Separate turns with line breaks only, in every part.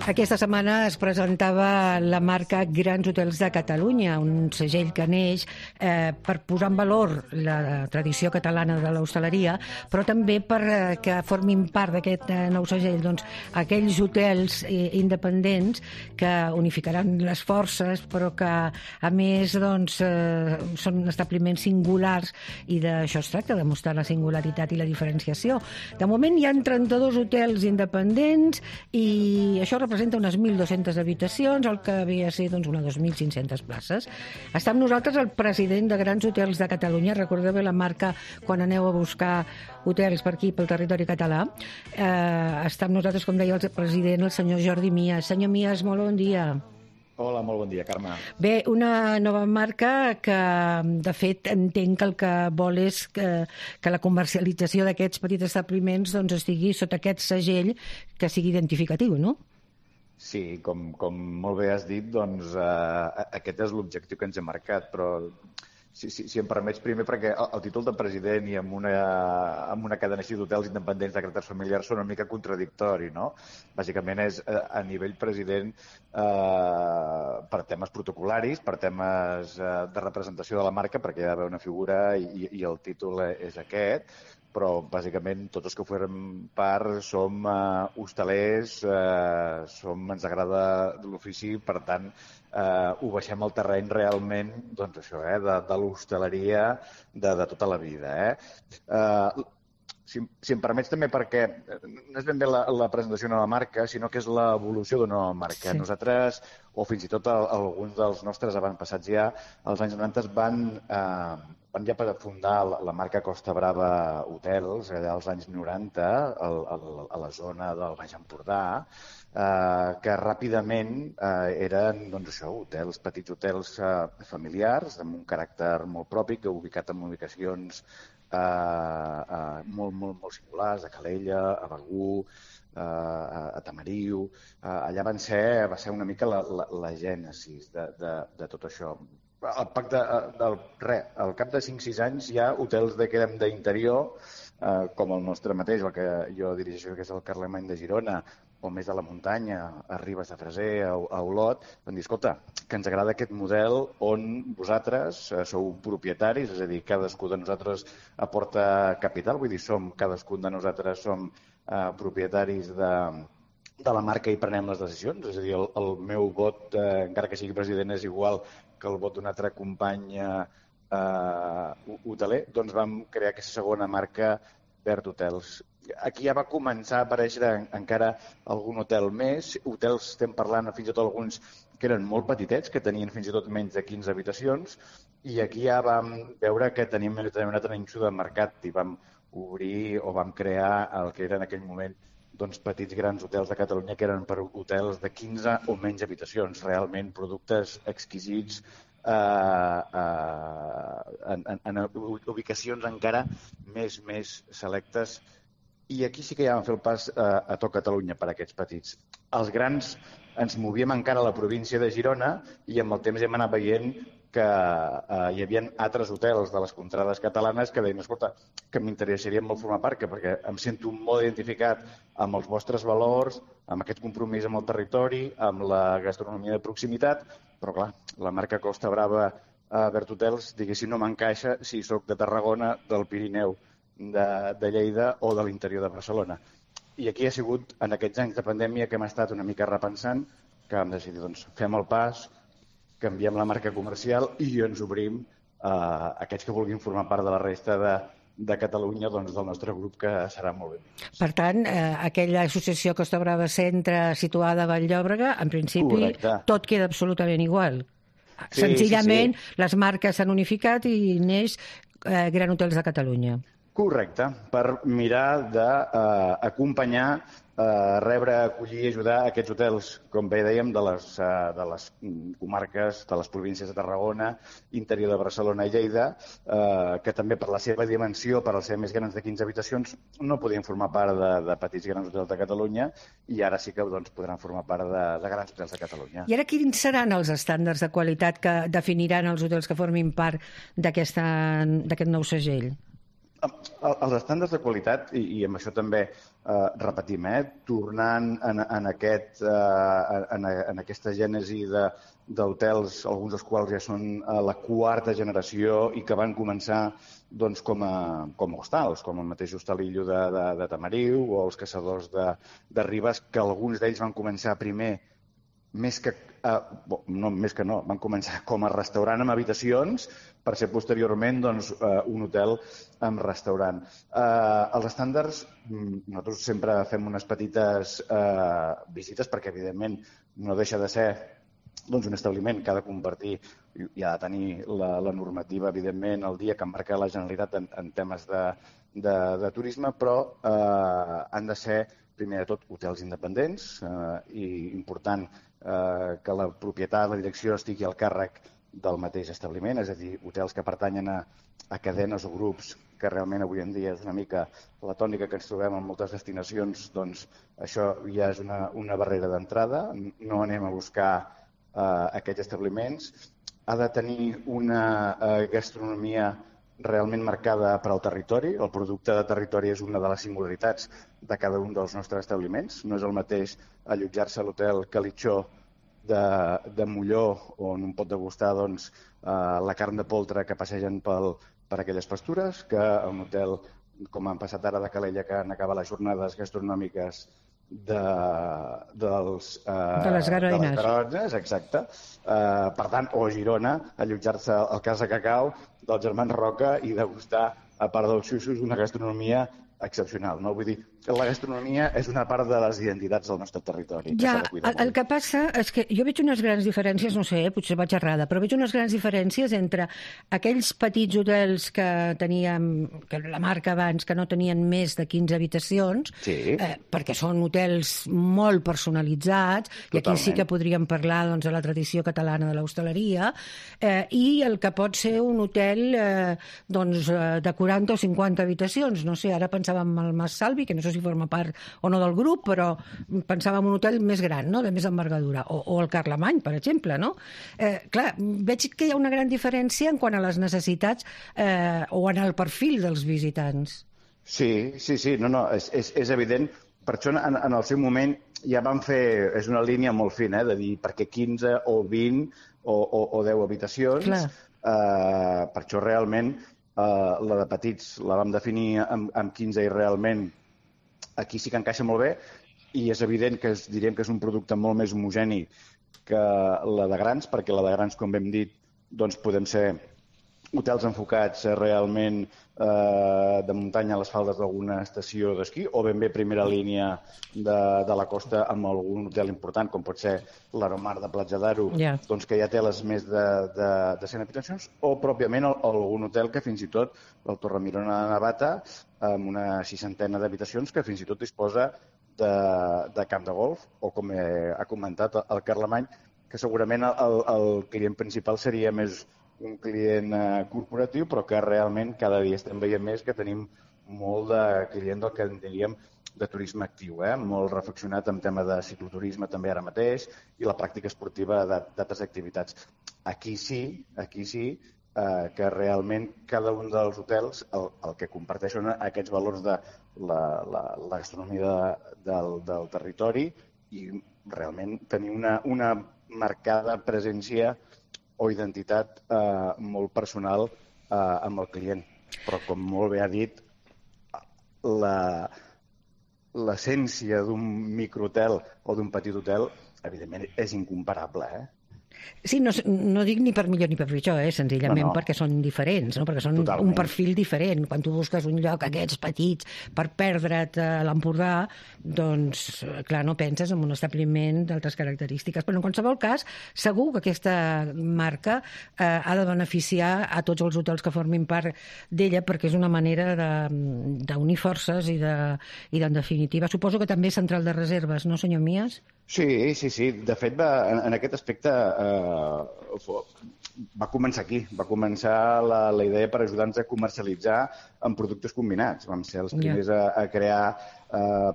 Aquesta setmana es presentava la marca Grans Hotels de Catalunya, un segell que neix per posar en valor la tradició catalana de l'hostaleria, però també que formin part d'aquest nou segell aquells hotels independents que unificaran les forces, però que a més són establiments singulars, i d'això es tracta, de mostrar la singularitat i la diferenciació. De moment hi ha 32 hotels independents i això representa unes 1.200 habitacions, el que ve a ser unes 2.500 places. Està amb nosaltres el president de Grans Hotels de Catalunya. Recordeu bé la marca quan aneu a buscar hotels per aquí, pel territori català. Està amb nosaltres, com deia el president, el senyor Jordi Mías. Senyor Mías, molt bon dia.
Hola, molt bon dia, Carme.
Bé, una nova marca que, de fet, entenc que el que vol és que la comercialització d'aquests petits establiments estigui sota aquest segell que sigui identificatiu, no?
Sí, com molt bé has dit, aquest és l'objectiu que ens hem marcat, però si em permets primer, perquè el títol de president i amb una cadena així d'hotels independents de caràcter familiar són una mica contradictori, no? Bàsicament és a nivell president per temes protocolaris, per temes de representació de la marca, perquè hi ha d'haver una figura i el títol és aquest, però bàsicament tots els que formem part som hostalers, ens agrada l'ofici, per tant ho baixem al terreny realment de l'hostaleria de tota la vida. Si em permets també, perquè no és ben bé la presentació d'una nova marca, sinó que és l'evolució d'una nova marca.
Sí.
Nosaltres, o fins i tot alguns dels nostres avantpassats ja, als anys 90 van ja per fundar la marca Costa Brava Hotels, allà als anys 90, a la zona del Baix Empordà, que ràpidament eren hotels, petits hotels familiars, amb un caràcter molt propi, ubicat en ubicacions molt singulars, a Calella, a Begur, a Tamariu. Allà va ser una mica la gènesis de tot això. Al cap de 5-6 anys hi ha hotels d'interior, com el nostre mateix, el que jo dirigeixo, que és el Carlemany de Girona, o més a la muntanya, a Ribes de Freser, a Olot, van dir, escolta, que ens agrada aquest model on vosaltres sou propietaris, és a dir, cadascú de nosaltres aporta capital, vull dir, cadascun de nosaltres som propietaris de la marca i prenem les decisions, és a dir, el meu vot, encara que sigui president, és igual que el vot d'un altre company hoteler, doncs vam crear aquesta segona marca, Verd Hotels. Aquí ja va començar a aparèixer encara algun hotel més, hotels estem parlant fins i tot alguns que eren molt petitets, que tenien fins i tot menys de 15 habitacions, i aquí ja vam veure que teníem un altre nínxol de mercat i vam obrir o vam crear el que era en aquell moment petits grans hotels de Catalunya, que eren per hotels de 15 o menys habitacions, realment productes exquisits en ubicacions encara més selectes. I aquí sí que ja vam fer el pas a tot Catalunya per a aquests petits. Els grans ens movíem encara a la província de Girona i amb el temps hem anat veient que hi havia altres hotels de les contrades catalanes que deien, escolta, que m'interessaria molt formar part, perquè em sento molt identificat amb els vostres valors, amb aquest compromís amb el territori, amb la gastronomia de proximitat, però clar, la marca Costa Brava Verd Hotels, diguéssim, no m'encaixa si sóc de Tarragona, del Pirineu, de Lleida o de l'interior de Barcelona. I aquí ha sigut, en aquests anys de pandèmia, que hem estat una mica repensant, que vam decidir, doncs, fem el pas, canviem la marca comercial i ens obrim a aquests que vulguin formar part de la resta de Catalunya, doncs, del nostre grup, que serà molt bé.
Per tant, aquella associació Costa Brava Centre situada a Vall-llobrega, en principi, correcte, tot queda absolutament igual. Sí, senzillament, sí. Les marques s'han unificat i neix Grans Hotels de Catalunya.
Correcte, per mirar d'acompanyar, rebre, acollir i ajudar aquests hotels, com bé dèiem, de les comarques, de les províncies de Tarragona, interior de Barcelona i Lleida, que també per la seva dimensió, per ser més grans de 15 habitacions, no podien formar part de petits grans hotels de Catalunya i ara sí que podran formar part de grans hotels de Catalunya.
I ara quins seran els estàndards de qualitat que definiran els hotels que formin part d'aquest nou segell?
Els estàndards de qualitat, i amb això també repetim, tornant en aquesta gènesi d'hotels, alguns dels quals ja són la quarta generació i que van començar doncs, com a hostals, com el mateix Hostalillo de Tamariu o els Caçadors de Ribes, que alguns d'ells van començar primer van començar com a restaurant amb habitacions per ser posteriorment doncs, un hotel amb restaurant. Els estàndards, nosaltres sempre fem unes petites visites perquè, evidentment, no deixa de ser doncs, un establiment que ha de compartir i ha de tenir la normativa, evidentment, el dia que marca la Generalitat en temes de turisme, però han de ser, primer de tot, hotels independents i important que la propietat, la direcció estigui al càrrec del mateix establiment, és a dir, hotels que pertanyen a cadenes o grups, que realment avui en dia és una mica la tònica que ens trobem en moltes destinacions, doncs això ja és una barrera d'entrada. No anem a buscar aquests establiments. Ha de tenir una gastronomia realment marcada per al territori. El producte de territori és una de les singularitats de cada un dels nostres establiments. No és el mateix allotjar-se a l'hotel Calitxó de Molló, on un pot degustar doncs, la carn de poltre que passegen per aquelles pastures, que a un hotel, com han passat ara de Calella, que han acabat les jornades gastronòmiques de
les Garoines,
exacte. Per tant, o a Girona, allotjar-se al Casa Cacau dels germans Roca i degustar, a part dels xuxos, una gastronomia excepcional. No? Vull dir, la gastronomia és una part de les identitats del nostre territori.
Ja, el que passa és que jo veig unes grans diferències, no sé, potser vaig errada, però veig unes grans diferències entre aquells petits hotels que teníem, que la marca abans, que no tenien més de 15 habitacions,
sí.
Perquè són hotels molt personalitzats, totalment. I aquí sí que podríem parlar doncs, de la tradició catalana de l'hostaleria, i el que pot ser un hotel doncs, de 40 o 50 habitacions. No sé, ara pensàvem en el Mas Salvi, que no sé si forma part o no del grup, però pensàvem en un hotel més gran, no? De més envergadura, o el Carlemany, per exemple, no? Clar, veig que hi ha una gran diferència en quant a les necessitats o en el perfil dels visitants.
Sí, no, és evident. Per això, en el seu moment, ja vam fer, és una línia molt fina, de dir perquè 15 o 20 o 10 habitacions. Per això, realment, la de petits la vam definir amb 15 i realment aquí sí que encaixa molt bé i és evident que diríem que és un producte molt més homogeni que la de grans, perquè la de grans, com hem dit, doncs podem ser hotels enfocats realment de muntanya a les faldes d'alguna estació d'esquí o ben bé primera línia de la costa amb algun hotel important, com pot ser l'Aromar de Platja d'Aro, doncs que ja té les més de 100 habitacions, o pròpiament algun hotel que fins i tot, el Torremirona de Navata, amb una 60 d'habitacions que fins i tot disposa de camp de golf, o com ha comentat el Carlemany, que segurament el client principal seria més un client corporatiu, però que realment cada dia estem veient més que tenim molt de client del que en diríem de turisme actiu, molt reflexionat en tema de cicloturisme també ara mateix i la pràctica esportiva d'altres activitats. Aquí sí que realment cada un dels hotels el que comparteixen aquests valors de la gastronomia del territori i realment tenir una marcada presència o identitat molt personal amb el client. Però, com molt bé ha dit, l'essència d'un microhotel o d'un petit hotel, evidentment, és incomparable,
Sí, no dic ni per millor ni per pitjor, senzillament perquè són diferents, no? Perquè són un perfil diferent. Quan tu busques un lloc, aquests petits, per perdre't a l'Empordà, doncs, clar, no penses en un establiment d'altres característiques. Però en qualsevol cas, segur que aquesta marca ha de beneficiar a tots els hotels que formin part d'ella, perquè és una manera d'unir forces i en definitiva, suposo que també és central de reserves, no, senyor Mies?
Sí, sí, sí. De fet, en aquest aspecte va començar aquí. Va començar la idea per ajudar-nos a comercialitzar amb productes combinats. Vam ser els primers a crear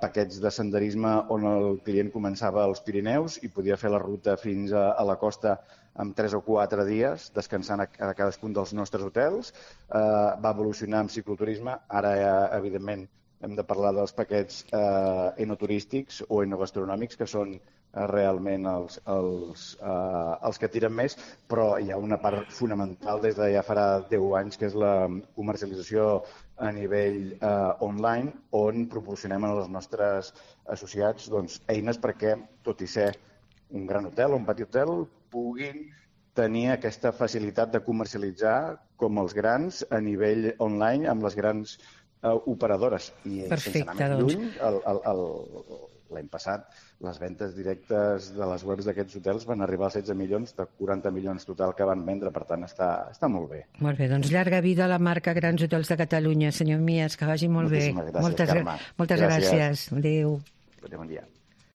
paquets de senderisme on el client començava als Pirineus i podia fer la ruta fins a la costa en 3 o 4 dies, descansant a cadascun dels nostres hotels. Va evolucionar amb cicloturisme. Ara, evidentment, hem de parlar dels paquets enoturístics o enogastronòmics, que són realment els que tiren més, però hi ha una part fonamental des de ja farà 10 anys, que és la comercialització a nivell online, on proporcionem als nostres associats eines perquè, tot i ser un gran hotel o un petit hotel, puguin tenir aquesta facilitat de comercialitzar com els grans a nivell online amb les grans operadores. I sense anar més lluny, l'any passat, les ventes directes de les webs d'aquests hotels van arribar als 16 milions de 40 milions total que van vendre, per tant està molt bé.
Molt bé, doncs llarga vida a la marca Grans Hotels de Catalunya, senyor Mies, que vagi molt bé.
Moltíssimes gràcies, Carme.
Moltes gràcies. Adéu.
Bon dia.